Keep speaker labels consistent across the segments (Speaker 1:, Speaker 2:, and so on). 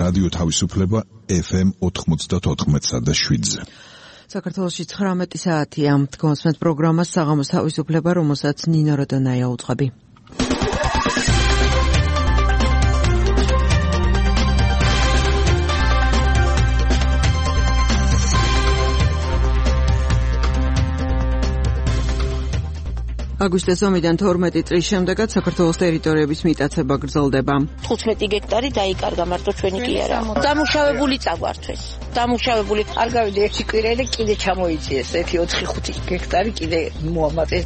Speaker 1: რადიო თავისუფლება FM 94.7-ზე.
Speaker 2: საქართველოში 19 საათია. გონსმენთ პროგრამას საღამოს თავისუფლება, რომელსაც ნინო როდონაია უძღვები. აგვისტოს ომიდან 12 წლის შემდეგაც საქართველოს ტერიტორიების მიტაცება გრძელდება.
Speaker 3: 15 გექტარი დაიკარგა მარტო ჩვენი კი არა. დამუშავებული წაგვართვეს. დამუშავებული არ გავიდე 1 კვირა და კიდე ჩამოიწიეს 1-4-5 გექტარი კიდე მოამატეს.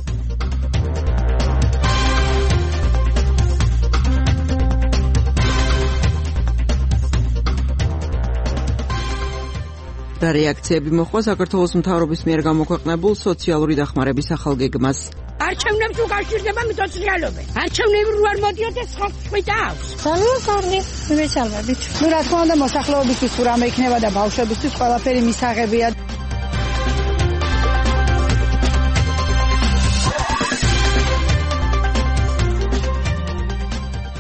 Speaker 2: და რეაქციები მოხდა საქართველოს მთავრობის მიერ გამოქვეყნებულ სოციალური დახმარების ახალგეგმას.
Speaker 4: არჩევნებს უკავშირდება მიწოწრიალობა. არჩევნები რო არ მოდიოდეს ხალხი დაავს.
Speaker 5: ძალიან კარგი მიცალმებით. ნუ რა თქმა უნდა მოსახლეობისთვის თუ რამე იქნება და ბავშვებისთვის ყველაფერი მისაღებია.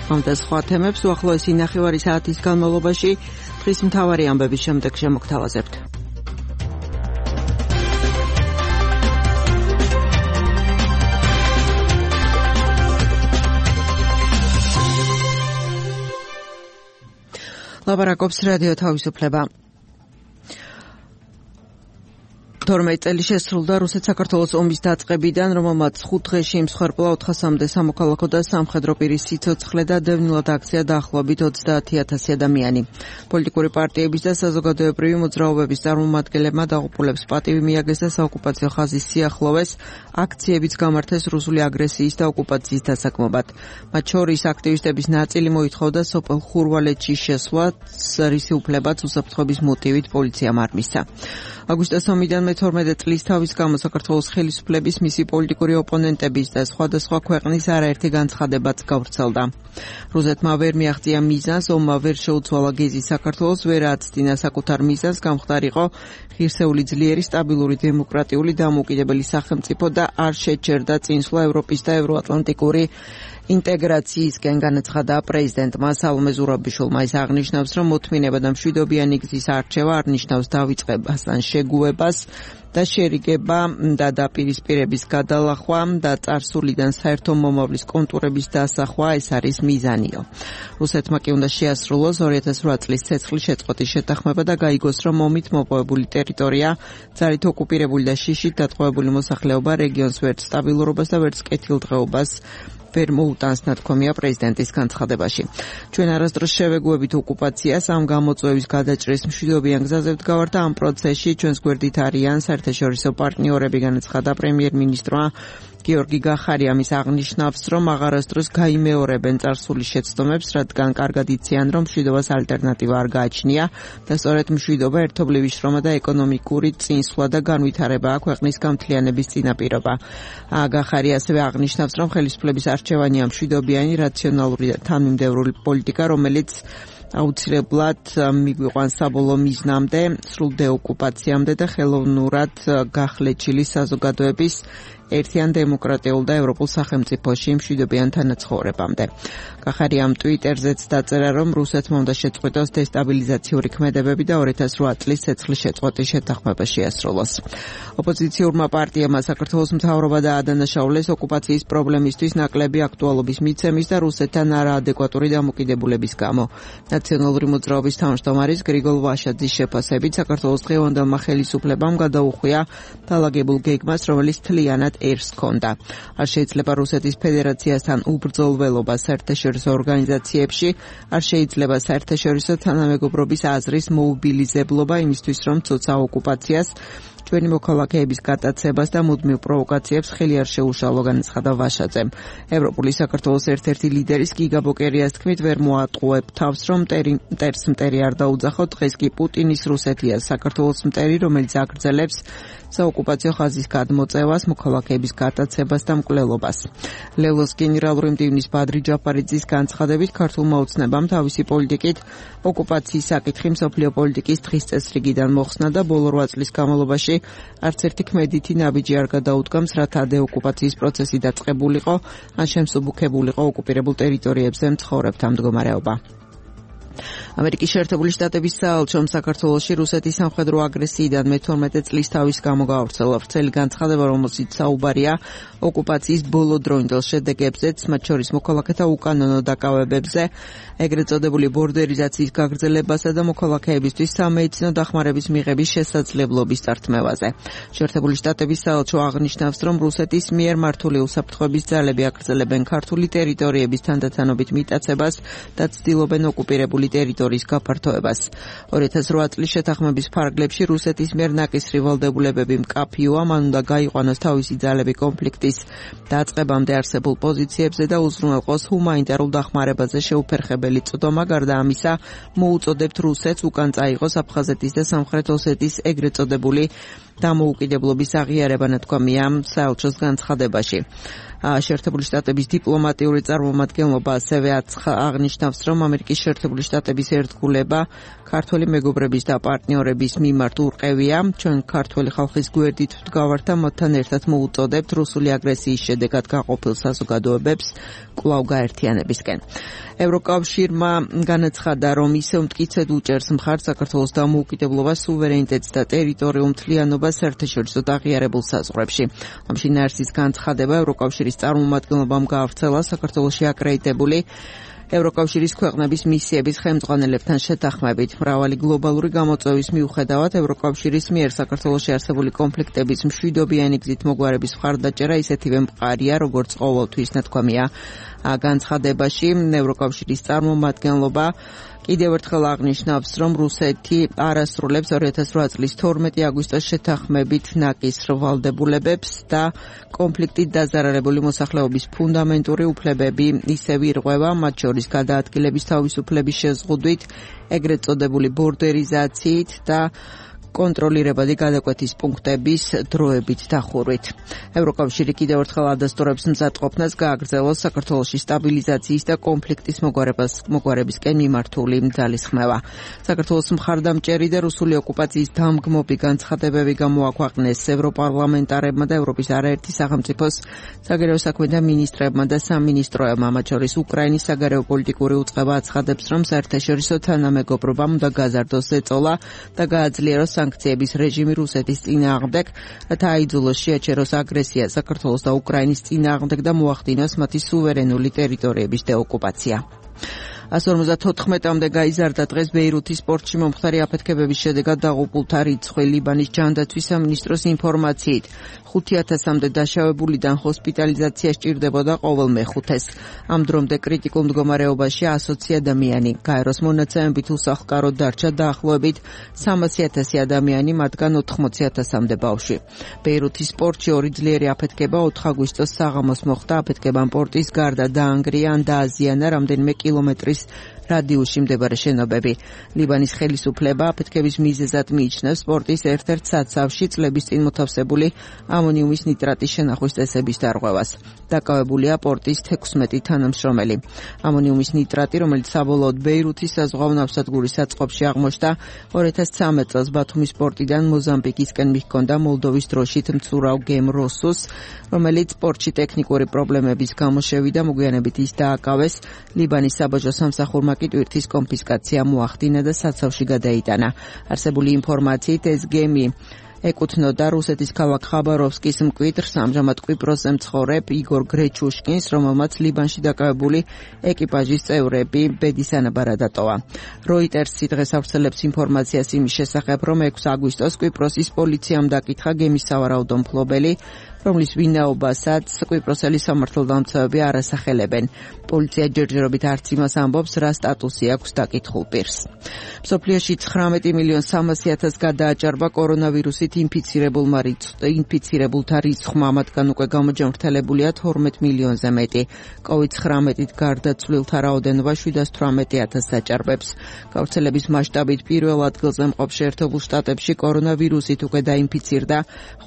Speaker 5: ამ და სხვა თემებს უახლოესი ნახევარი საათის განმავლობაში დღის მთავარი ამბების შემდეგ შემოგთავაზებთ. ლაპარაკობს რადიო თავისუფლება. 12 წელი შესრულდა რუსეთ-საქართველოს ომის დაწყებიდან, რომელმაც 5 დღეში მსხვერპლა 400-მდე სამოქალაქო და სამხედრო პირის სიცოცხლე და დევნილად აქცია დაახლოებით 30,000 ადამიანი. პოლიტიკური პარტიების და საზოგადოებრივი მოძრაობების წარმომადგენლებმა დაღუპულებს პატივი მიაგეს და საოკუპაციო ხაზის სიახლოვეს აქციებიც გამართეს რუსული აგრესიის და ოკუპაციის დასაქმებად. მათ შორის აქტივისტების ნაწილი მოითხოვდა სოფელ ხურვალეთში შესვლას, რისი უფლებაც უსაფრთხოების მოტივით პოლიციამ არ მისცა. აგვისტოს ომიდან 12 წლის თავის გამო საქართველოს ხელისუფლების, მისი პოლიტიკური ოპონენტების და სხვადასხვა ქვეყნის არაერთი განცხადებაც გავრცელდა. რუსეთმა ვერ მიაღწია მიზანს, ომმა ვერ შეუცვალა გეზი საქართველოს, ვერ აცდინა საკუთარ მიზანს, გამხდარიყო ღირსეული ძლიერი, სტაბილური, დემოკრატიული, დამოუკიდებელი სახელმწიფო და არ შეჩერდა წინსვლა ევროპის და ევროატლანტიკური ინტეგრაციისკენ, განაცხადა პრეზიდენტმა სალომე ზურაბიშვილმა. ის აღნიშნავს, რომ მოთმინება და მშვიდობიანი გზის არჩევა არ ნიშნავს დავიწყებას ან შეგუებას და შერიგება და დაპირისპირების გადალახვა და წარსულიდან საერთო მომავლის კონტურების დასახვა, ეს არის მიზანიო. რუსეთმა კი უნდა შეასრულოს 2008 წლის ცეცხლის შეწყვეტის შეთანხმება და გაიგოს, რომ ომით მოპოვებული ტერიტორია, ძალით ოკუპირებული და შიშით დატყვევებული მოსახლეობა რეგიონს ვერც სტაბილურობას და ვერც კეთილდღეობას ვერ მოუტანს, ნათქვამია პრეზიდენტის განცხადებაში. ჩვენ არასდროს შევეგუებით ოკუპაციას, ამ გამოწვევის გადაჭრის მშვიდობიან გზაზე ვდგავართ და ამ პროცესში ჩვენს გვერდით არიან საერთაშორისო პარტნიორები, განაცხადა პრემიერ-მინისტრმა გიორგი გახარიამის. აღნიშნავს, რომ აღარასდროს გაიმეორებენ წარსული შეცდომებს, რადგან კარგად იციან, რომ მშვიდობას ალტერნატივა არ გააჩნია და სწორედ მშვიდობა, ერთობლივი შრომა და ეკონომიკური წინსვლა და განვითარებაა ქვეყნის გამთლიანების წინაპირობა. გახარი ასევე აღნიშნავს, რომ ხელისუფლების არჩევანია მშვიდობიანი, რაციონალური და თანმიმდევრული პოლიტიკა, რომელიც აუცილებლად მიგვიყვანს საბოლოო მიზნამდე, სრულ დეოკუპაციამდე და ხელოვნურად გახლეჩილი საზოგადოების ერთიან დემოკრატიულ და ევროპულ სახელმწიფოში მშვიდობიან თანაცხოვრებამდე. გახარიამ ტვიტერზეც დაწერა, რომ რუსეთმა უნდა შეწყვიტოს დესტაბილიზაციური ქმედებები და 2008 წლის ცეცხლის შეწყვეტის შეთანხმება შეასრულოს. ოპოზიციურმა პარტიებმა საქართველოს მთავრობა დაადანაშაულეს ოკუპაციის პრობლემისთვის ნაკლები აქტუალობის მიცემის და რუსეთთან არაადეკვატური დამოკიდებულების გამო. ნაციონალური მოძრაობის თავმჯდომარის გრიგოლ ვაშაძის შეფასებით, საქართველოს დღევანდელმა ხელისუფლებამ გადაუხვია დაალაგებულ გეგმას, რომელიც მთლიანად ერს ჰქონდა. არ შეიძლება რუსეთის ფედერაციასთან უბრძოლველობა საერთაშორისო ორგანიზაციებში, არ შეიძლება საერთაშორისო თანამეგობრობის აზრის მოუბილიზებლობა იმისთვის, რომ წოცა ოკუპაციას, ჩვენი მოქალაქეების გატაცებას და მუდმივ პროვოკაციებს ხელი არ შეუშალო, განაცხადა ვაშაძემ. ევროპული საქართველოს ერთ-ერთი ლიდერის გიგა ბოკერიას თქმით, ვერ მოატყუებ თავს, რომ მტერს მტერი არ დაუძახო, დღეს კი პუტინის რუსეთია საქართველოს მტერი, რომელიც აგრძელებს საოკუპაციო ხაზის გადმოწევას, მოქალაქეების გატაცებას და მკვლელობას. ლელოს გენერალური მდივნის ბადრი ჯაფარიძის განცხადებით, ქართულმა ოცნებამ თავისი პოლიტიკით ოკუპაციის საკითხი მსოფლიო პოლიტიკის დღის წესრიგიდან მოხსნა და ბოლო 8 წლის განმავლობაში არც ერთი ქმედითი ნაბიჯი არ გადაუდგამს, რათა დეოკუპაციის პროცესი დაწყებულიყო, ან შემსუბუქებულიყო ოკუპირებულ ტერიტორიებზე მცხოვრებთა მდგომარეობა. ამერიკის შეერთებული შტატების საელჩომ საქართველოში რუსეთის სამხედრო აგრესიიდან მე-12 წლის თავის გამო გაავრცელა ვრცელი განცხადება, რომელშიც საუბარია ოკუპაციის ბოლო დროინდელ შედეგებზეც, მათ შორის მოქალაქეთა უკანონო დაკავებებზე, ეგრეთ წოდებული ბორდერიზაციის გაგრძელებასა და მოქალაქეებისთვის სამედიცინო დახმარების მიღების შესაძლებლობის წართმევაზე. შეერთებული შტატების საელჩო აღნიშნავს, რომ რუსეთის მიერ მართული უსაფრთხოების ძალები აგრძელებენ ქართული ტერიტორიების თანდათანობით მიტაცებას და ცდილობენ ოკუპირებული ტერიტორიის გაფართოებას. 2008 წლის შეთანხმების ფარგლებში რუსეთის მიერ ნაკისრი ვალდებულებები მკაფიოა, მან უნდა გაიყვანოს თავისი ძალები კონფლიქტის დაწყებამდე არსებულ პოზიციებზე და უზრუნველყოს ჰუმანიტარულ დახმარებაზე შეუფერხებელი წვდომა. გარდა ამისა, მოუწოდებთ რუსეთს უკან წაიღოს აფხაზეთის და სამხრეთ ოსეთის ეგრეთ წოდებული დამოუკიდებლობის აღიარება, ნათქვამია საელჩოს განცხადებაში. შეერთებული შტატების დიპლომატიური წარმომადგენლობა ასევე აღნიშნავს, რომ ამერიკის შეერთებული შტატების ერთგულება ქართველი მეგობრების და პარტნიორების მიმართ ურყევია. ჩვენ ქართველი ხალხის გვერდით ვდგავართ და მათთან ერთად მოუწოდებთ რუსული აგრესიის შედეგად გაყოფილ საზოგადოებებს კვლავ გაერთიანებისკენ. ევროკავშირმა განაცხადა, რომ ისევ მტკიცედ უჭერს მხარს საქართველოს დამოუკიდებლობას, სუვერენიტეტს და ტერიტორიულ მთლიანობას საერთაშორისო აღიარებულ საზღვრებში. ამ შინაარსის განცხადება ევროკავშირის წარმომადგენლობამ გაავრცელა საქართველოში აკრედიტებული ევროკავშირის ქვეყნების მისიების ხელმძღვანელებთან შეთანხმებით. მრავალი გლობალური გამოწვევის მიუხედავად, ევროკავშირის მიერ საქართველოში არსებული კონფლიქტების მშვიდობიანი გზით მოგვარების მხარდაჭერა ისეთივე მყარია, როგორც ყოველთვის, ნათქვამია განცხადებაში. ევროკავშირის წარმომადგენლობა კიდევ ერთხელ აღნიშნავს, რომ რუსეთი არასრულებს 2008 წლის 12 აგვისტოს შეთანხმებით ნაკისრ ვალდებულებებს და კონფლიქტით დაზარალებული მოსახლეობის ფუნდამენტური უფლებები ისევ ირღვევა, მათ შორის გადაადგილების თავისუფლების შეზღუდვით, ეგრეთ წოდებული ბორდერიზაციით და კონტროლირებადი გადაკვეთის პუნქტების დროებით დახურვით. ევროკავშირი კიდევ ერთხელ ადასტურებს მზადყოფნას გააგრძელოს საქართველოში სტაბილიზაციის და კონფლიქტის მოგვარებისკენ მიმართული ძალისხმევა. საქართველოს მხარდამჭერი და რუსული ოკუპაციის დამგმობი განცხადებები გამოაქვეყნეს ევროპარლამენტარებმა და ევროპის არაერთი სახელმწიფოს საგარეო საქმეთა მინისტრებმა და სამინისტროებმა, მათ შორის უკრაინის საგარეო პოლიტიკური უწყება აცხადებს, რომ საერთაშორისო თანამეგობრობამ უნდა გაზარდოს ზეწოლა და გააძლიეროს სანქციების რეჟიმი რუსეთის წინააღმდეგ, რათა აიძულოს შეაჩეროს აგრესია საქართველოს და უკრაინის წინააღმდეგ და მოახდინოს მათი სუვერენული ტერიტორიების დეოკუპაცია. 154-მდე გაიზარდა დღეს ბეირუთის პორტში მომხდარი აფეთქებების შედეგად დაღუპულთა რიცხვი. ლიბანის ჯანდაცვის სამინისტროს ინფორმაციით 5000-მდე დაშავებულიდან ჰოსპიტალიზაცია სჭირდებოდა ყოველ მეხუთეს. ამ დრომდე კრიტიკულ მდგომარეობაში 120 ადამიანი. გაეროს მონაცემებით უსახლკაროდ დარჩა დაახლოებით 300,000 ადამიანი, მათგან 80,000-მდე ბავშვი. ბეირუთის პორტში ორი ძლიერი აფეთქება 4 აგვისტოს საღამოს მოხდა. აფეთქებამ პორტის გარდა დაანგრია ან დააზიანა რამდენიმე კილომეტრის რადიუსში მდებარე შენობები. ლიბანის ხელისუფლება აფეთქების მიზეზად მიიჩნევს პორტის ერთ-ერთ საცავში წლების წინ მოთავსებული ამონიუმის ნიტრატის შენახვის წესების დარღვევას. დაკავებულია პორტის 16 თანამშრომელი. ამონიუმის ნიტრატი, რომელიც საბოლოოდ ბეირუთის საზღვაო ნავსადგურის საწყობში აღმოჩნდა, 2013 წელს ბათუმის პორტიდან მოზამბიკისკენ მიჰქონდა მოლდოვის დროშით მცურავ გემ როსუს, რომელიც პორტში ტექნიკური პრობლემების გამო შევიდა, მოგვიანებით ის დააკავეს. ლიბანის საბაჟო სამსახურმა კი ტვირთის კონფისკაცია მოახდინა და საცავში გადაიტანა. არსებული ინფორმაციით ეს გემი ეკუთვნოდა რუსეთის ქალაქ ხაბაროვსკის მკვიდრს, ამჟამად კვიპროსზე მცხოვრებ იგორ გრეჩუშკინს, რომელმაც ლიბანში დაკავებული ეკიპაჟის წევრები ბედის ანაბარა დატოვა. როიტერსი დღეს ავრცელებს ინფორმაციას იმის შესახებ, რომ 6 აგვისტოს კვიპროსის პოლიციამ დაკითხა გემის სავარაუდო მფლობელი, რომლის ვინაობასაც კვიპროსელი სამართალდამცავები არ ასახელებენ. პოლიცია ჯერჯერობით არც იმას ამბობს, რა სტატუსი აქვს დაკითხულ პირს. მსოფლიოში 19,300,000 გადააჭარბა კორონავირუსით ინფიცირებულთა რიცხვმა, მათგან უკვე გამოჯანმრთელებულია 12 მილიონზე მეტი. COVID-19-ით გარდაცვლილთა რაოდენობა 718,000 დაჭარბებს. გავრცელების მასშტაბით პირველ ადგილზე მყოფ შეერთებულ შტატებში კორონავირუსით უკვე დაინფიცირდა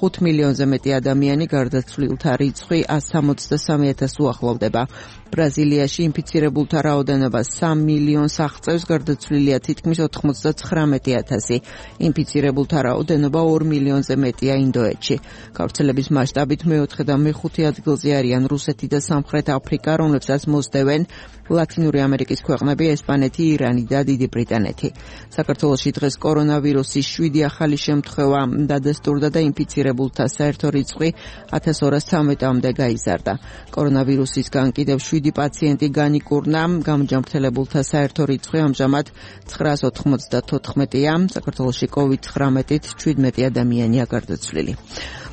Speaker 5: 5 მილიონზე მეტი ადამიანი,
Speaker 2: მილიონი, გარდაცვლილთა რიცხვი 163,000 უახლოვდება. ბრაზილიაში ინფიცირებულთა რაოდენობა 3 მილიონს აღწევს, გარდაცვლილია თითქმის 99,000. ინფიცირებულთა რაოდენობა 2 მილიონზე მეტია ინდოეთში. გავრცელების მასშტაბით მეოთხე და მეხუთე ადგილზე არიან რუსეთი და სამხრეთ აფრიკა, რომლებსაც მოსდევენ ლათინური ამერიკის ქვეყნები, ესპანეთი, ირანი და დიდი ბრიტანეთი. საქართველოში დღეს კორონავირუსის 7 ახალი შემთხვევა დადასტურდა და ინფიცირებულთა საერთო რიცხვი 1213-მდე გაიზარდა. კორონავირუსისგან კიდევ 7 პაციენტი განიკურნა, გამჯანმრთელებულთა საერთო რიცხვი ამჟამად 994-ია. საქართველოში COVID-19-ით 17 ადამიანია გარდაცვლილი.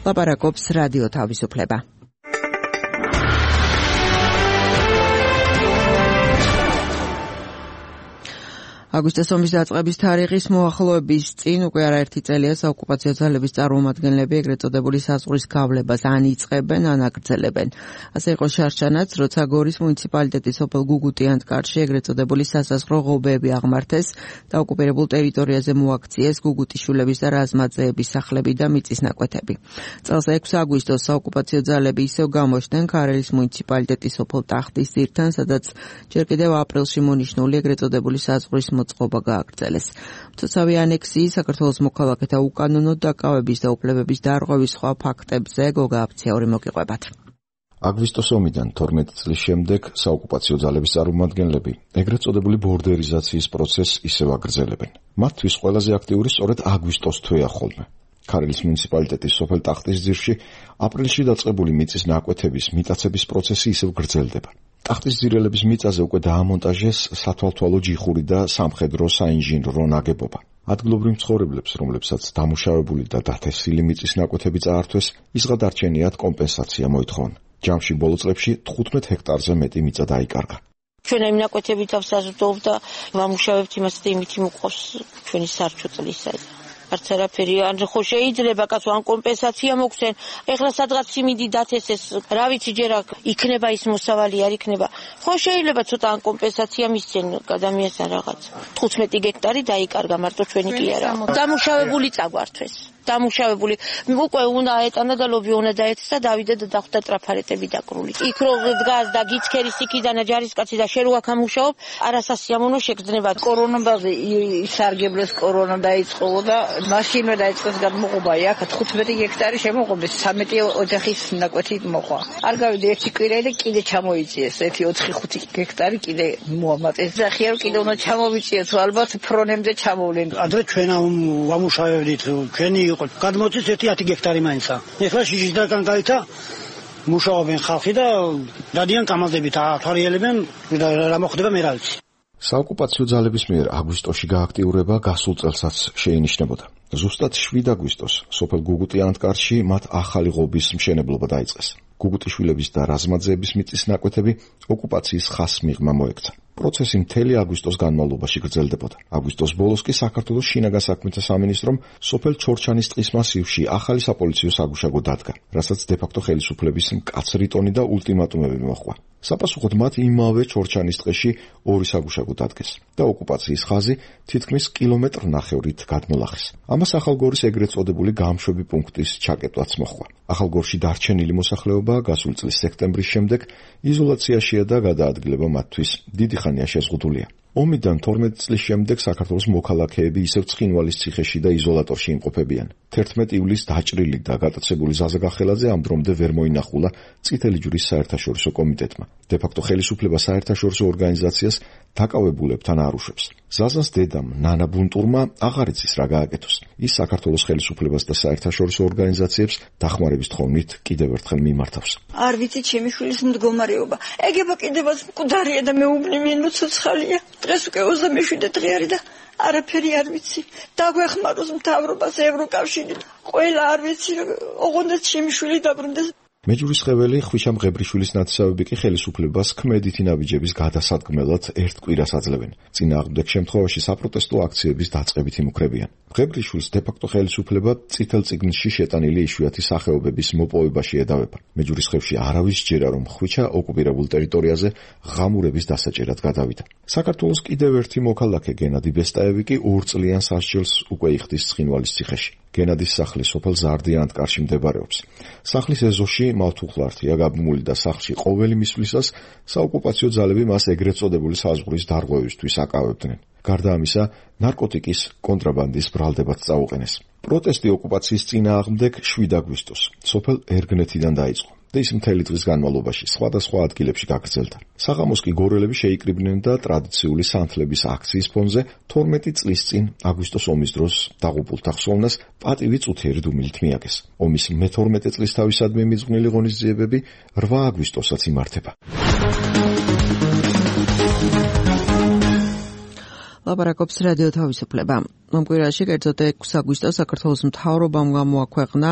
Speaker 2: ლაპარაკობს რადიო თავისუფლება. აგვისტოს ომის დაწყების თარიღის მოახლოების წინ უკვე არაერთი წელია საოკუპაციო ძალების წარმომადგენლები ეგრეთ წოდებული საზღვრის გავლებას ან იწყებენ, ან აგრძელებენ. ასე იყო შარშანაც, როცა გორის მუნიციპალიტეტის სოფელ გუგუტიანთკარში ეგრეთ წოდებული სასაზღვრო ღობეები აღმართეს და ოკუპირებულ ტერიტორიაზე მოაქციეს გუგუტიშვილების და რაზმაძეების სახლები და მიწის ნაკვეთები. წელს 6 აგვისტოს საოკუპაციო ძალები ისევ გამოჩნდნენ ქარელის მუნიციპალიტეტის სოფელ ტახტის ძირთან, სადაც ჯერ კიდევ აპრილში მონიშნული ეგრეთ წოდებული საზღვრის მოწყობა გააგრძელეს. მცოცავი ანექსიის, საქართველოს მოქალაქეთა უკანონო დაკავების და უფლებების დარღვევის სხვა ფაქტებზე გოგა აფციაური მოგიყვებათ.
Speaker 6: აგვისტოს ომიდან 12 წლის შემდეგ საოკუპაციო ძალების წარმომადგენლები ეგრეთ წოდებული ბორდერიზაციის პროცესს ისევ აგრძელებენ. მათთვის ყველაზე აქტიური სწორედ აგვისტოს თვეა ხოლმე. ქარელის მუნიციპალიტეტის სოფელ ტახტის ძირში აპრილში დაწყებული მიწის ნაკვეთების მიტაცების პროცესი ისევ გრძელდება. ტახტის ძირელების მიწაზე უკვე დაამონტაჟეს სათვალთვალო ჯიხური და სამხედრო საინჟინრო ნაგებობა. ადგილობრივ მცხოვრებლებს, რომლებსაც დამუშავებული და დათესილი მიწის ნაკვეთები წაართვეს, ისღადარჩენიათ კომპენსაცია მოითხოვან. ჯამში ბოლო წლებში 15 ჰექტარზე მეტი მიწა დაიკარგა.
Speaker 3: ჩვენ ამ ნაკვეთებით ავსაზრდოვ და ვამუშავებთ იმას და იმით მოყავს ჩვენი სარჩო წლისა. არც არაფერი ან ხო შეიძლება კაცო ან კომპენსაცია მოგცენ. ეხლა სადღაც სიმინდი დათესეს, რა ვიცი ჯერ იქნება ის მოსავალი არ იქნება. ხო შეიძლება ცოტა ან კომპენსაცია მისცენ ადამიანს ან რაღაც. 15 ჰექტარი დაიკარგა მარტო ჩვენი კი არა. დამუშავებული წაგვართვეს. დამუშავებული უკვე უნდა აეტანა და ლობი უნდა დაეცეს და დავიდა და დახვდა ტრაფარეტები დაკრული. იქ რო დგას და გიცქერის იქიდან ჯარისკაცი და შენ რო აქ ამუშაობ, არასასიამოვნო შეგრძნება. კორონაზე ისარგებლეს კორონა დაიწყო და მაშინვე დაიწყეს გამოყობა. აქ 15 ჰექტარი შემოყობეს, 13 ოჯახის ნაკვეთი მოყვა. არ გავიდე ერთი კვირა და კიდე ჩამოიწიეს. ერთი 4-5 ჰექტარი კიდე მოამატეს. და ხიარო კიდე უნდა ჩამოვიწიეთ, ალბათ ფრონემდე ჩამოვლენ.
Speaker 7: ადრე ჩვენ ვამუშავებდით, ჩვენი გადმოწეს 1-10 ჰექტარი მაინცა. ეხლა შიშისგან გაიცა მუშაობენ ხალხი და დადიან კამაზებით ათვალიერებენ რა მოხდება მე რა ვიცი.
Speaker 6: საოკუპაციო ძალების მიერ აგვისტოში გააქტიურება გასულ წელსაც შეინიშნებოდა. ზუსტად 7 აგვისტოს სოფელ გუგუტიანთკარში მათ ახალი ღობის მშენებლობა დაიწყეს. გუგუტიშვილების და რაზმაძეების მიწის ნაკვეთები ოკუპაციის ხაზს მიღმა მოექცა. პროცესი მთელი აგვისტოს განმავლობაში გრძელდებოდა. აგვისტოს ბოლოს კი საქართველოს შინაგან საქმეთა სამინისტრომ სოფელ ჩორჩანის ტყის მასივში ახალი საპოლიციო საგუშაგო დადგა, რასაც დე-ფაქტო ხელისუფლების მკაცრი ტონი და ულტიმატუმები მოჰყვა. საპასუხოდ მათ იმავე ჩორჩანის ტყეში 2 საგუშაგო დადგეს და ოკუპაციის ხაზი თითქმის კილომეტრ-ნახევრით გადმოლახეს. ამას ახალგორის ეგრეთ წოდებული გამშვები პუნქტის ჩაკეტვაც მოჰყვა. ახალგორში დარჩენილი მოსახლეობა გასული წლის სექტემბრის შემდეგ იზოლაციაშია და გადაადგილება მათთვის დიდი ხანია შეზღუდულია. ომიდან 12 წლის შემდეგ საქართველოს მოქალაქეები ისევ ცხინვალის ციხეში და იზოლატორში იმყოფებიან. 11 ივლისს დაჭრილი და გატაცებული ზაზა გახელაძე ამ დრომდე ვერ მოინახულა წითელი ჯვრის საერთაშორისო კომიტეტმა. დე-ფაქტო ხელისუფლება საერთაშორისო ორგანიზაციას დაკავებულებთან არ უშვებს. ზაზას დედამ ნანა ბუნტურმა აღარ იცის რა გააკეთოს. ის საქართველოს ხელისუფლებას და საერთაშორისო ორგანიზაციებს დახმარების თხოვნით კიდევ ერთხელ მიმართავს.
Speaker 8: არ ვიცი ჩემი შვილის მდგომარეობა. ეგება კიდევაც მკვდარია და მეუბნები მოცოცხალია. დღეს უკვე 27 დღე არის და არაფერი არ ვიცი. დაგვეხმაროს მთავრობას, ევროკავშირი. ყველა არ ვიცი, ოღონდ ჩემი შვილი დაბრუნდეს.
Speaker 6: მეჯურის ხეველი ხვიჩა მღებრიშვილის ნათესავები კი ხელისუფლებას ქმედითი ნაბიჯების გადასადგმელად ერთ კვირას აძლევენ. წინააღმდეგ შემთხვევაში საპროტესტო აქციების დაწყებით იმუქრებიან. მღებრიშვილს დე-ფაქტო ხელისუფლება წითელ წიგნში შეტანილი იშვიათი სახეობების მოპოვებაში ედავება. მეჯურის ხევში არავის სჯერა, რომ ხვიჩა ოკუპირებულ ტერიტორიაზე ღამურების დასაჭერად გადავიდა. საქართველოს კიდევ ერთი მოქალაქე გენადი ბესტაევი კი 2 წლიან სასჯელს უკვე იხდის ცხინვალის ციხეში. გენადის სახლი სოფელ ზარდიან-ანტკარში მდებარეობს. სახლის ეზოში მავთუხლართია გაბმული და სახლში ყოველი მისვლისას საოკუპაციო ძალები მას ეგრეთ წოდებული საზღვრის დარღვევისთვის აკავებდნენ. გარდა ამისა, ნარკოტიკის კონტრაბანდის ბრალდებაც წაუყენეს. პროტესტი ოკუპაციის წინააღმდეგ 7 აგვისტოს სოფელ ერგნეთიდან დაიწყო და ის მთელი დღის განმავლობაში სხვადასხვა ადგილებში გაგრძელდა. საღამოს კი გორელები შეიკრიბნენ და ტრადიციული სანთლების აქციის ფონზე 12 წლის წინ აგვისტოს ომის დროს დაღუპულთა ხსოვნას პატივი წუთიერი დუმილით მიაგეს. ომის მე-12 წლისთავისადმი მიძღვნილი ღონისძიებები 8 აგვისტოსაც იმართება.
Speaker 2: ლაპარაკობს რადიო თავისუფლება. ამ კვირაში კერძოდ 6 აგვისტოს საქართველოს მთავრობამ გამოაქვეყნა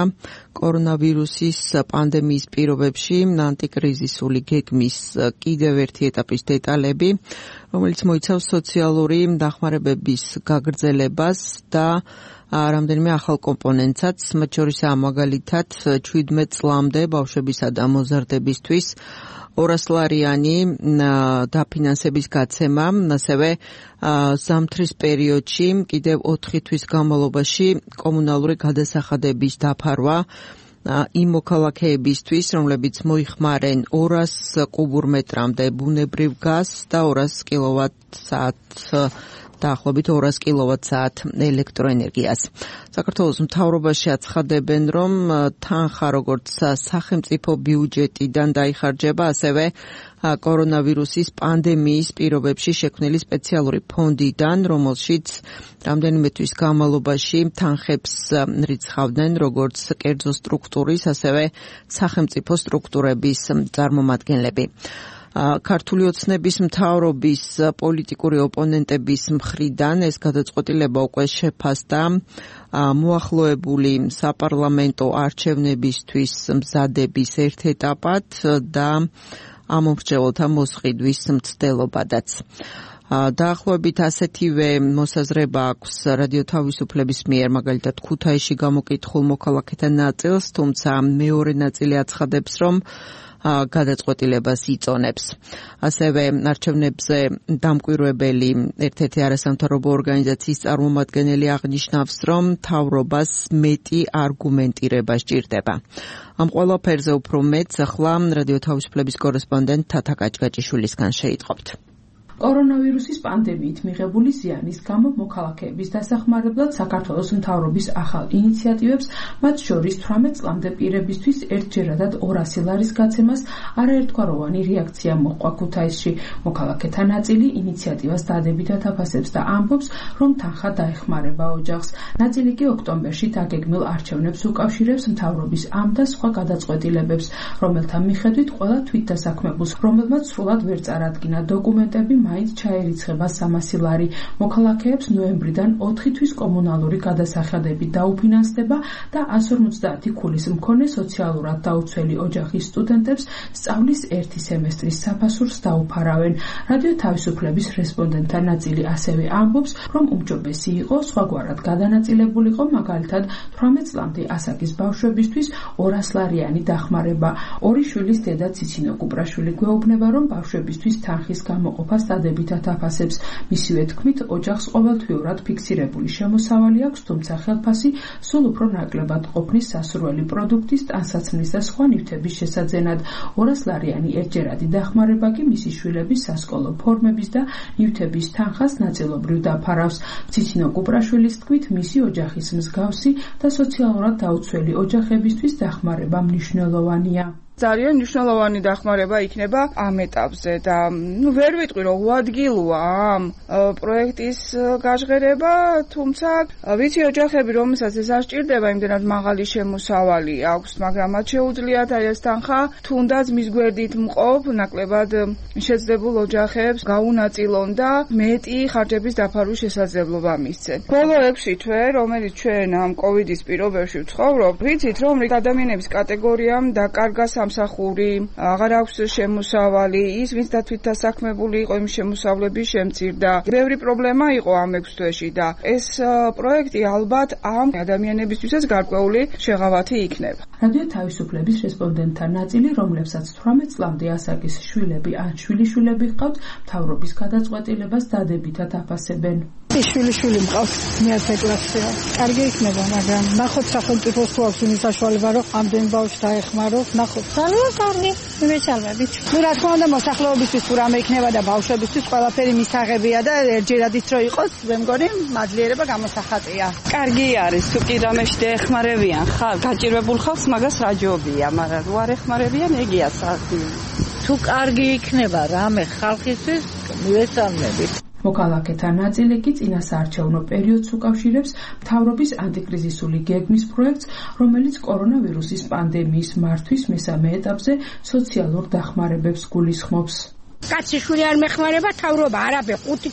Speaker 2: კორონავირუსის პანდემიის პირობებში ანტიკრიზისული გეგმის კიდევ ერთი ეტაპის დეტალები, რომელიც მოიცავს სოციალური დახმარებების გაგრძელებას და რამდენიმე ახალ კომპონენტსაც, მათ შორისაა მაგალითად 17 წლამდე ბავშვებისა და მოზარდებისთვის 200 ლარიანი დაფინანსების გაცემა, ასევე ზამთრის პერიოდში კიდევ 4 თვის განმავლობაში კომუნალური გადასახადების დაფარვა იმ მოქალაქეებისთვის, რომლებიც მოიხმარენ 200 კუბურმეტრამდე ბუნებრივ გაზს და 200 კილოვატ-საათ დაახლოებით 200 კილოვატ-საათ ელექტროენერგიას. საქართველოს მთავრობაში აცხადებენ, რომ თანხა როგორც სახელმწიფო ბიუჯეტიდან დაიხარჯება, ასევე კორონავირუსის პანდემიის პირობებში შექმნილი სპეციალური ფონდიდან, რომელშიც რამდენიმე თვის განმავლობაში თანხებს რიცხავდნენ როგორც კერძო სტრუქტურის, ასევე სახელმწიფო სტრუქტურების წარმომადგენლები. ქართული ოცნების მთავრობის პოლიტიკური ოპონენტების მხრიდან ეს გადაწყვეტილება უკვე შეფასდა მოახლოებული საპარლამენტო არჩევნებისთვის მზადების ერთ ეტაპად და ამომრჩეველთა მოსყიდვის მცდელობადაც. დაახლოებით ასეთივე მოსაზრება აქვს რადიო თავისუფლების მიერ, მაგალითად ქუთაისში გამოკითხულ მოქალაქეთა ნაწილს, თუმცა მეორე ნაწილი აცხადებს, რომ გადაწყვეტილებას იწონებს. ასევე არჩევნებზე დამკვირვებელი ერთ-ერთი არასამთავრობო ორგანიზაციის წარმომადგენელი აღნიშნავს, რომ მთავრობას მეტი არგუმენტირება სჭირდება. ამ ყველაფერზე უფრო მეტს ახლა რადიო თავისუფლების კორესპონდენტ თათა კაჭკაჭიშვილისგან შეიტყობთ.
Speaker 9: კორონავირუსის პანდემიით მიღებული ზიანის გამო მოქალაქეების დასახმარებლად საქართველოს მთავრობის ახალ ინიციატივებს, მათ შორის 18 წლამდე პირებისთვის ერთჯერადად 200 ლარის გაცემას არაერთგვაროვანი რეაქცია მოჰყვა ქუთაისში. მოქალაქეთა ნაწილი ინიციატივას დადებითად აფასებს და ამბობს, რომ თანხა დაეხმარება ოჯახს. ნაწილი კი ოქტომბერში დაგეგმილ არჩევნებს უკავშირებს მთავრობის ამ და სხვა გადაწყვეტილებებს, რომელთა მიხედვით ყველა თვითდასაქმებულს, რომელმაც სრულად ვერ წარადგინა დოკუმენტები, მაინც ჩაერიცხება 300 ლარი. მოქალაქეებს ნოემბრიდან 4 თვის კომუნალური გადასახადები დაუფინანსდება და 150 ქულის მქონე სოციალურად დაუცველი ოჯახის სტუდენტებს სწავლის ერთი სემესტრის საფასურს დაუფარავენ. რადიო თავისუფლების რესპონდენტთა ნაწილი ასევე ამბობს, რომ უმჯობესი იყო სხვაგვარად გადანაწილებულიყო, მაგალითად 18 წლამდე ასაკის ბავშვებისთვის 200 ლარიანი დახმარება. ორი შვილის დედა ციცინო კუპრაშვილი გვეუბნება, რომ ბავშვებისთვის თანხის გამოყოფას დადებითად აფასებს. მისივე თქმით, ოჯახს ყოველთვიურად ფიქსირებული შემოსავალი აქვს, თუმცა ხელფასი სულ უფრო ნაკლებად ყოფნის სასურველი პროდუქტის, ტანსაცმლის და სხვა ნივთების შესაძენად. 200 ლარიანი ერთჯერადი დახმარება კი მისი შვილების სასკოლო ფორმების და ნივთების თანხას ნაწილობრივ დაფარავს. ციცინო კუპრაშვილის თქმით, მისი ოჯახის მსგავსი და სოციალურად დაუცველი ოჯახებისთვის დახმარება მნიშვნელოვანია.
Speaker 10: ძალიან მნიშვნელოვანი დახმარება იქნება ამ ეტაპზე და ვერ ვიტყვი რომ უადგილოა ამ პროექტის გაჟღერება, თუმცა ვიცი ოჯახები, რომელსაც ეს არ სჭირდება, იმდენად მაღალი შემოსავალი აქვს, მაგრამ მათ შეუძლიათ ეს თანხა თუნდაც მის გვერდით მყოფ ნაკლებად შეძლებულ ოჯახებს გაუნაწილონ და მეტი ხარჯების დაფარვის შესაძლებლობა მისცენ. ბოლო 6 თვე, რომელიც ჩვენ ამ კოვიდის პირობებში ვცხოვრობ, ვიცით რომ ადამიანების კატეგორიამ დაკარგა სამსახური, აღარ აქვს შემოსავალი, ის ვინც თვითდასაქმებული იყო, იმ შემოსავლების შემცირდა. ბევრი პრობლემა იყო ამ 6 თვეში და ეს პროექტი ალბათ ამ ადამიანებისთვისაც გარკვეული შეღავათი იქნება.
Speaker 9: რადიო თავისუფლების რესპონდენტთა ნაწილი, რომლებსაც 18 წლამდე ასაკის შვილები ან შვილიშვილები ჰყავთ, მთავრობის გადაწყვეტილებას დადებითად აფასებენ.
Speaker 4: შვილი მყავს მე-10 კლასია. კარგი იქნება, მაგრამ ნახოთ სახელმწიფოს თუ აქვს იმის საშუალება, რომ ამდენ ბავშვს დაეხმაროს, ნახოთ. ძალიან კარგი, მივეცალმებით. რა თქმა უნდა, მოსახლეობისთვის თუ რამე იქნება და ბავშვებისთვის ყველაფერი მისაღებია და ერთჯერადით რო იყოს, მე მგონი მაძლიერება გამოსახატია.
Speaker 11: კარგი არის, თუ კი რამეში დაეხმარებიან, გაჭირვებულ ხალხს მაგას რაჯობია, მაგრამ რო არ ეხმარებიან, ეგია საქმე.
Speaker 3: თუ კარგი იქნება რამე ხალხისთვის, მივეცალმებით.
Speaker 9: მოქალაქეთა ნაწილი კი წინასაარჩევნო პერიოდს უკავშირებს მთავრობის ანტიკრიზისული გეგმის პროექტს, რომელიც კორონავირუსის პანდემიის მართვის მესამე ეტაპზე სოციალურ დახმარებებს გულისხმობს.
Speaker 4: კაცი შვილი არ მეხმარება თავრობა, არაბე 5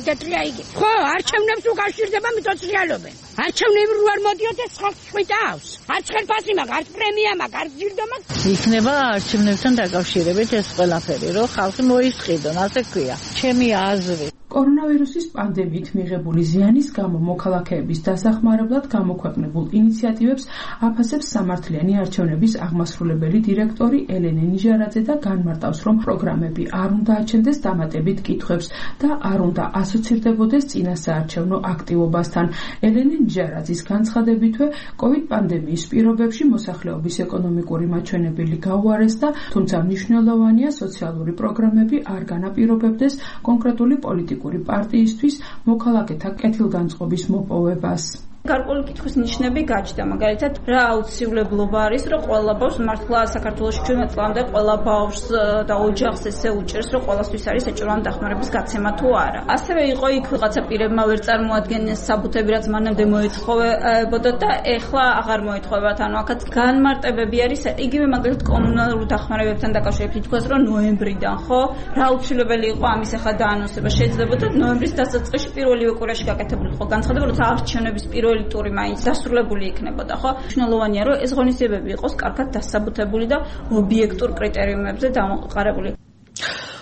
Speaker 4: თეთრია იგი. ხო, არჩევნებს უკავშირდება მიწოწრიალობენ. არჩევნები რო არ მოდიოდეს ხალხს ხვიტავს. არც ხელფასი მაგ, არც პრემია მაგ, არც ჯილდო მაგ.
Speaker 3: იქნება არჩევნებთან დაკავშირებით ეს ყველაფერი, რომ ხალხი მოისყიდონ, ასე ქვია. ჩემი აზრი.
Speaker 9: კორონავირუსის პანდემიით მიღებული ზიანის გამო მოქალაქეების დასახმარებლად გამოქვეყნებულ ინიციატივებს აფასებს სამართლიანი არჩევნების აღმასრულებელი დირექტორი ელენე ნიჟარაძე და განმარტავს, რომ პროგრამები არ უნდა აჩენდეს დამატებით კითხვებს და არ უნდა ასოცირდებოდეს წინასაარჩევნო აქტივობასთან. ელენე ნიჟარაძის განცხადებითვე, COVID პანდემიის პირობებში მოსახლეობის ეკონომიკური მაჩვენებელი გაუარესდა, თუმცა მნიშვნელოვანია სოციალური პროგრამები არ განაპირობებდეს კონკრეტული პოლიტიკური პარტიისთვის მოქალაქეთა კეთილგანწყობის მოპოვებას.
Speaker 12: გარკვეული კითხვის ნიშნები გაჩნდა, მაგალითად, რა აუცილებლობა არის, რომ ყველა ბავშვს მართლა საქართველოში 17 წლამდე ყველა ბავშვს და ოჯახს ესე უჭერს, რომ ყველასთვის არის საჭიროა დახმარების გაცემა თუ არა. ასევე იყო იქ ვიღაცა პირებმა ვერ წარმოადგენეს საბუთები, რაც მანამდე მოეთხოვებოდა და ეხლა აღარ მოეთხოვებათ. ანუ აქაც განმარტებები არის, იგივე მაგალითად კომუნალურ დახმარებებთან დაკავშირებით ითქვას, რომ ნოემბრიდან, ხო, რა აუცილებელი იყო ამის ახლა დაანონსება შეიძლებოდა ნოემბრის დასაწყისში პირველივე კვირაში გაკეთებული იყო განცხადება, როცა არჩევნების პირველი ტური მაინც დასრულებული იქნებოდა, ხო? მნიშვნელოვანია, რომ ეს ღონისძიებები იყოს კარგად დასაბუთებული და ობიექტურ კრიტერიუმებზე დამყარებული.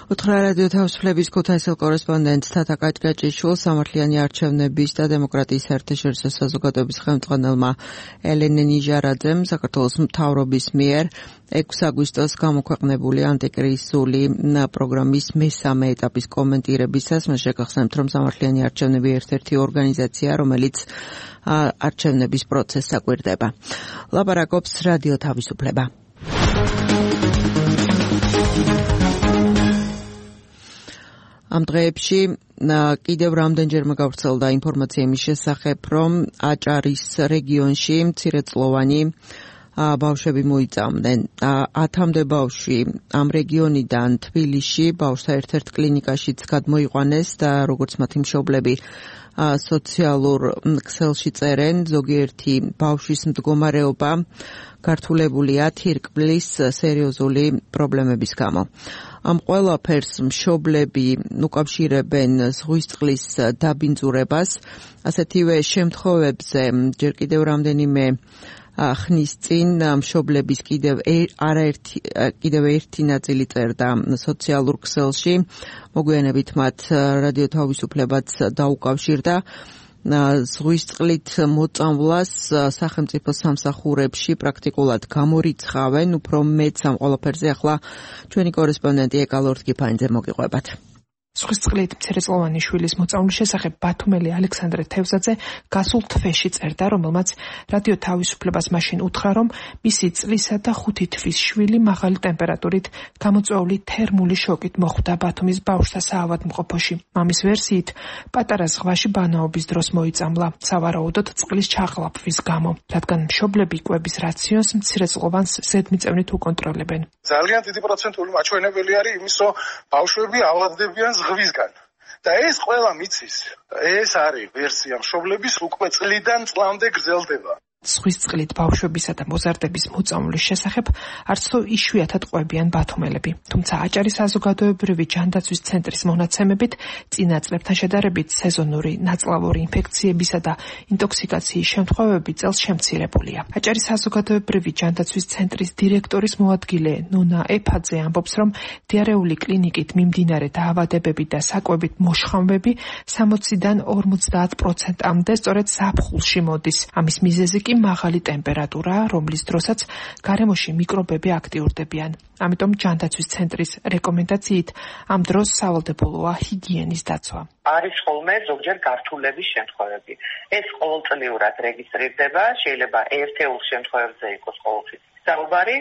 Speaker 2: უთხრა რადიო თავისუფლების ქუთაისელ კორესპონდენტს თათა კაჭკაჭიშვილს სამართლიანი არჩევნების და დემოკრატიის საერთაშორისო საზოგადოების ხელმძღვანელმა ელენე ნიჟარაძემ საქართველოს მთავრობის მიერ 6 აგვისტოს გამოქვეყნებული ანტიკრიზისული პროგრამის მესამე ეტაპის კომენტირებისას მას შეგახსენებთ, რომ სამართლიანი არჩევნები ერთ-ერთი ორგანიზაცია, რომელიც არჩევნების პროცესს აკვირდება. ლაპარაკობს რადიო თავისუფლება. ამ დღეებში კიდევ რამდენჯერმე გავრცელდა ინფორმაცია იმის შესახებ, რომ აჭარის რეგიონში მცირეწლოვანი ბავშვები მოიწამდნენ. 10-მდე ბავშვი ამ რეგიონიდან თბილისში ბავშვთა ერთ-ერთ კლინიკაშიც გადმოიყვანეს და როგორც მათი მშობლები სოციალურ ქსელში წერენ, ზოგიერთი ბავშვის მდგომარეობა გართულებულია თირკმლის სერიოზული პრობლემების გამო. ამ ყველაფერს მშობლები უკავშირებენ ზღვის წყლის დაბინძურებას. ასეთივე შემთხვევებზე ჯერ კიდევ რამდენიმე ხნის წინ მშობლების კიდევ ერთი ნაწილი წერდა სოციალურ ქსელში. მოგვიანებით მათ რადიო თავისუფლებაც დაუკავშირდა. ზღვის წყლით მოწამვლას სახელმწიფო სამსახურებში პრაქტიკულად გამორიცხავენ. უფრო მეც ამ ყველაფერზე ახლა ჩვენი კორესპონდენტი ეკალორთ გიფანიძე მოგიყვებათ.
Speaker 13: ზღვის წყლით მცირეწლოვანი შვილის მოწამვლის შესახებ ბათუმელი ალექსანდრე თევზაძე გასულ თვეში წერდა, რომელმაც რადიო თავისუფლებას მაშინ უთხრა, რომ მისი წლისა და 5 თვის შვილი მაღალი ტემპერატურით გამოწვეული თერმული შოკით მოხვდა ბათუმის ბავშვთა საავადმყოფოში. მამის ვერსიით, პატარა ზღვაში ბანაობის დროს მოიწამლა, სავარაუდოდ წყლის ჩაღლაფვის გამო, რადგან მშობლები კვების რაციონს მცირეწლოვანს ზედმიწევნით უკონტროლებენ.
Speaker 14: ძალიან დიდი პროცენტული მაჩვენებელი არის იმის, რომ ბავშვები ავადდებიან ზღვისგან. და ეს ყველა მიცის, ეს არის ვერსია მშობლების უკვე წლიდან წლამდე გრძელდება.
Speaker 13: ზღვის წყლით ბავშვებისა და მოზარდების მოწამვლის შესახებ არც თუ იშვიათად ყვებიან ბათუმელები. თუმცა აჭარის საზოგადოებრივი ჯანდაცვის ცენტრის მონაცემებით წინა წლებთან შედარებით სეზონური ნაწლავური ინფექციებისა და ინტოქსიკაციის შემთხვევები წელს შემცირებულია. აჭარის საზოგადოებრივი ჯანდაცვის ცენტრის დირექტორის მოადგილე ნონა ეფაძე ამბობს, რომ დიარეული კლინიკით მიმდინარე დაავადებები და საკვებით მოშხამვები 60-დან 50%-მდე სწორედ ზაფხულში მოდის. ამის მიზეზი კი მაღალი ტემპერატურაა, რომლის დროსაც გარემოში მიკრობები აქტიურდებიან. ამიტომ ჯანდაცვის ცენტრის რეკომენდაციით ამ დროს სავალდებულოა ჰიგიენის დაცვა.
Speaker 15: არის ხოლმე ზოგჯერ გართულების შემთხვევები. ეს ყოველწლიურად რეგისტრირდება, შეიძლება ერთეულ შემთხვევებზე იყოს ყოველთვის საუბარი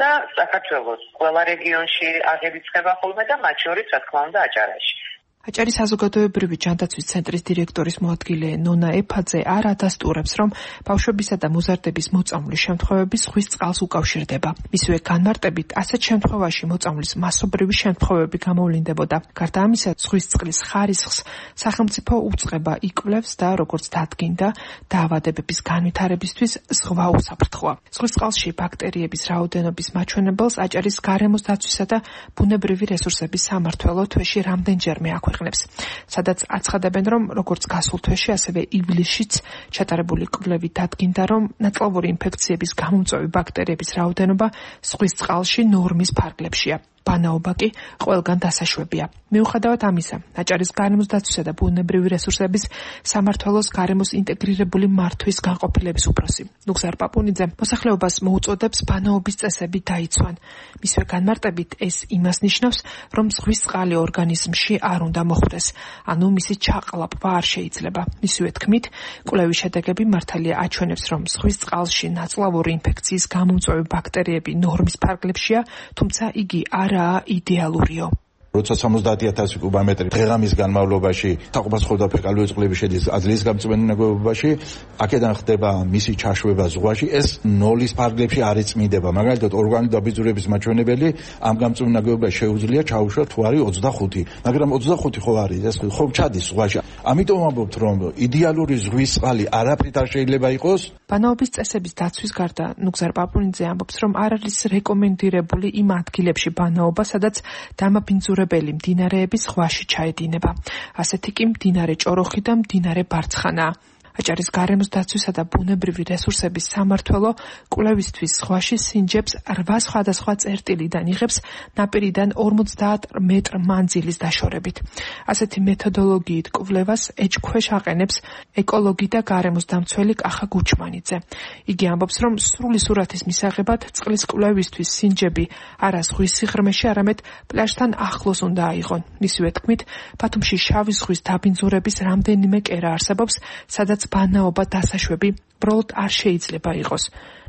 Speaker 15: და საქართველოს ყველა რეგიონში აღებიწყება ხოლმე და მათ შორის რა თქმა უნდა აჭარაში.
Speaker 13: აჭარის საზოგადოებრივი ჯანდაცვის ცენტრის დირექტორის მოადგილე ნონა ეფაძე არ ადასტურებს, რომ ბავშვებისა და მოზარდების მოწამვლის შემთხვევები ზღვის წყალს უკავშირდება. მისივე განმარტებით, ასეთ შემთხვევაში მოწამვლის მასობრივი შემთხვევები გამოვლინდებოდა. გარდა ამისა, ზღვის წყლის ხარისხს სახელმწიფო უწყება იკვლევს და როგორც დადგინდა, დაავადებების განვითარებისთვის ზღვა უსაფრთხოა. ზღვის წყალში ბაქტერიების რაოდენობის მაჩვენებელს აჭარის გარემოს დაცვისა და ბუნებრივი რესურსების სამმართველო თვეში რამდენჯერმე აქვეყნებს, სადაც აცხადებენ, რომ როგორც გასულ თვეში, ასევე ივლისშიც ჩატარებული კვლევით დადგინდა, რომ ნაწლავური ინფექციების გამომწვევი ბაქტერიების რაოდენობა ზღვის წყალში ნორმის ფარგლებშია. ბანაობა კი ყველგან დასაშვებია. მიუხედავად ამისა, აჭარის გარემოს დაცვისა და ბუნებრივი რესურსების სამმართველოს გარემოს ინტეგრირებული მართვის განყოფილების უფროსი ნუგზარ პაპუნიძე მოსახლეობას მოუწოდებს ბანაობის წესები დაიცვან. მისვე განმარტებით ეს იმას ნიშნავს, რომ ზღვის წყალი ორგანიზმში არ უნდა მოხვდეს, ანუ მისი ჩაყლაპვა არ შეიძლება. მისივე თქმით, კვლევის შედეგები მართალია აჩვენებს, რომ ზღვის წყალში ნაწლავური ინფექციის გამომწვევი ბაქტერიები ნორმის ფარგლებშია, თუმცა იგი არაა იდეალურიო.
Speaker 16: როცა 70,000 კუბომეტრი დღეღამის განმავლობაში თაყოფას ხოვდა ფეკალიური წყლები შედის აძლიის გამწვენე ნაგებობაში, აქედან ხდება მისი ჩაშვება ზღვაში, ეს ნოლის ფარგლებში არ იწმინდება. მაგალითად, ორგანული დაბინძურების მაჩვენებელი ამ გამწვენე ნაგებობაში შეუძლია ჩაუშვა თუ არის 25, მაგრამ 25 ხო არის, ეს ხო ჩადის ზღვაში. ამიტომ ამბობთ, რომ იდეალური ზღვის წყალი არაფრით არ შეიძლება იყოს.
Speaker 13: ბანაობის წესების დაცვის გარდა ნუგზარ პაპუნიძე ამბობს, რომ არ არის რეკომენდირებული იმ ადგილებში ბანაობა, სადაც დამაბინძურებელი მდინარეები ზღვაში ჩაედინება. ასეთი კი მდინარე ჭოროხი და მდინარე ბარცხანაა. აჭარის გარემოს დაცვისა და ბუნებრივი რესურსების სამმართველო კვლევისთვის ზღვაში სინჯებს 8 სხვადასხვა წერტილიდან იღებს ნაპირიდან 50 მეტრ მანძილის დაშორებით. ასეთი მეთოდოლოგიით კვლევას ეჭქვეშ აყენებს ეკოლოგი და გარემოს დამცველი კახა გუჩმანიძე. იგი ამბობს, რომ სრული სურათის მისაღებად წყლის კვლევისთვის სინჯები არა ზღვის სიღრმეში, არამედ პლაჟთან ახლოს უნდა აიღონ. მისივე თქმით, ბათუმში შავი ზღვის დაბინძურების რამდენიმე კერა არსებობს, სადაც ბანაობა დასაშვები ბროლოდ არ შეიძლება იყოს.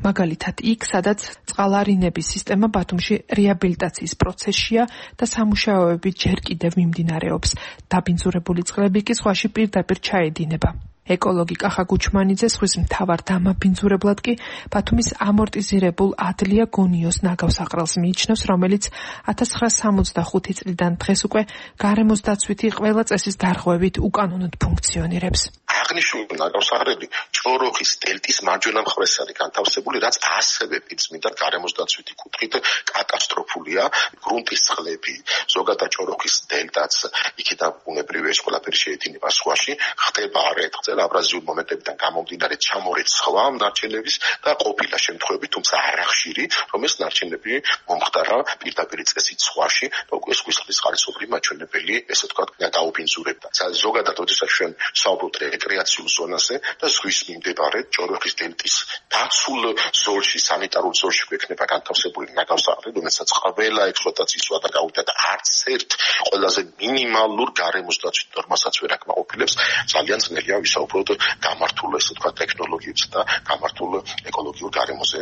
Speaker 13: მაგალითად, იქ, სადაც წყალარინების სისტემა ბათუმში რეაბილიტაციის პროცესშია და სამუშაოები ჯერ კიდევ მიმდინარეობს. დაბინძურებული წყლები კი ზღვაში პირდაპირ ჩაედინება. ეკოლოგი კახა გუჩმანიძე ზღვის მთავარ დამაბინძურებლად კი ბათუმის ამორტიზირებულ ადლია გონიოს ნაგავსაყრელს მიიჩნევს, რომელიც 1965 წლიდან დღეს უკვე გარემოს დაცვითი ყველა წესის დარღვევით უკანონოდ ფუნქციონირებს.
Speaker 17: აღნიშნული ნაგავსაყრელი ჭოროხის დელტის მარჯვენა მხარეს არის განთავსებული, რაც ასევე პირწმინდა გარემოს დაცვითი კუთხით კატასტროფულია. გრუნტის წყლები, ზოგადად ჭოროხის დელტაც, იქიდან ბუნებრივი ეს ყველაფერი შეედინება ზღვაში, ხდება არაერთხელ აბრაზიული მომენტებიდან გამომდინარე ჩამორეთ სხვა ნარჩენების და ყოფილა შემთხვევები, თუმცა არახშირი, რომ ეს ნარჩენები მომხდარა პირდაპირ წესით ზღვაში და უკვე ზღვის წყლის ხარისხობრივი მაჩვენებელი, ესე ვთქვათ, დაუბინძურებდა. ზოგადად, როდესაც ჩვენ საუბრობთ რეკრეაციულ ზონაზე და ზღვის მიმდებარე ჭოროხის დელტის დაცულ ზოლში, სანიტარულ ზოლში გვექნება განთავსებული ნაგავსაყრელი, რომელსაც ყველა ექსპლუატაციის ვადა გავიდა და არც ერთ ყველაზე მინიმალურ გარემოს დაცვით ნორმასაც ვერ აკმაყოფილებს. ძალიან ძნელია ვისაუბროთ გამართულ, ესე ვთქვათ, ტექნოლოგიებზე და გამართულ ეკოლოგიურ გარემოზე.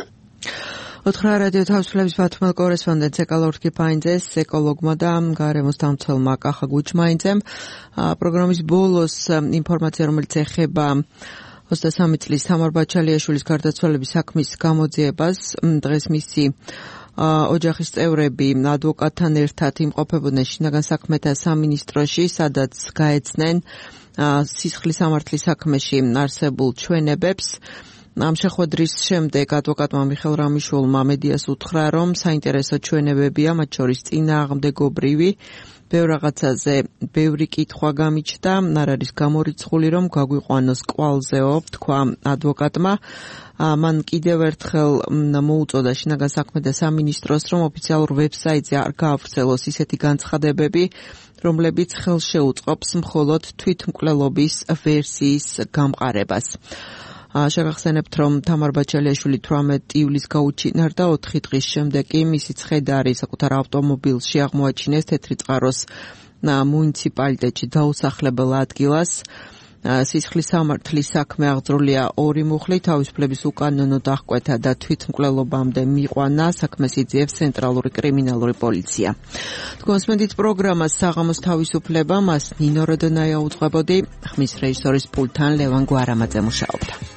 Speaker 2: ოთხრა რადიო თავისუფლების ბათუმელ კორესპონდენტს ეკოლოგ კიფაინძეს, ეკოლოგმა და გარემოს დამცველმა კახა გუჩმაინძემ პროგრამის ბოლოს ინფორმაცია, რომელიც ეხება 23 წლის თამარ ბაჩალიაშვილის გარდაცვალების საქმის გამოძიებას. დღეს მისი ოჯახის წევრები ადვოკატთან ერთად იმყოფებოდნენ შინაგან საქმეთა სამინისტროში, სადაც გაეცნენ სისხლის სამართლის საქმეში არსებულ ჩვენებებს. ამ შეხვედრის შემდეგ ადვოკატმა მიხელ რამიშვილმა მედიას უთხრა, რომ საინტერესო ჩვენებებია, მათ შორის წინააღმდეგობრივი, ბევრ რაღაცაზე ბევრი კითხვა გამიჩნდა, არ არის გამორიცხული, რომ გაგვიყვანოს კვალზეო, თქვა ადვოკატმა. მან კიდევ ერთხელ მოუწოდა შინაგან საქმეთა სამინისტროს, რომ ოფიციალურ ვებსაიტზე არ გაავრცელოს ისეთი განცხადებები, რომლებიც ხელს შეუწყობს მხოლოდ თვითმკვლელობის ვერსიის გამყარებას. შეგახსენებთ, რომ თამარ ბაჩალიაშვილი 18 ივლისს გაუჩინარდა, 4 დღის შემდეგ კი მისი ცხედარი საკუთარ ავტომობილში აღმოაჩინეს თეთრი წყაროს მუნიციპალიტეტში დაუსახლებელ ადგილას. სისხლის სამართლის საქმე აღძრულია 2 მუხლი, თავისუფლების უკანონო დახკვეთა და თვითმკვლელობამდე მიყვანა, საქმეს იძიებს ცენტრალური კრიმინალური პოლიცია. თქვენსმენდით პროგრამას საღამოს თავისუფლება, მას ნინო როდონაია უძღვებოდი, ხმის რეჟისორის პულტთან ლევან გვარამაძე მუშაობდა.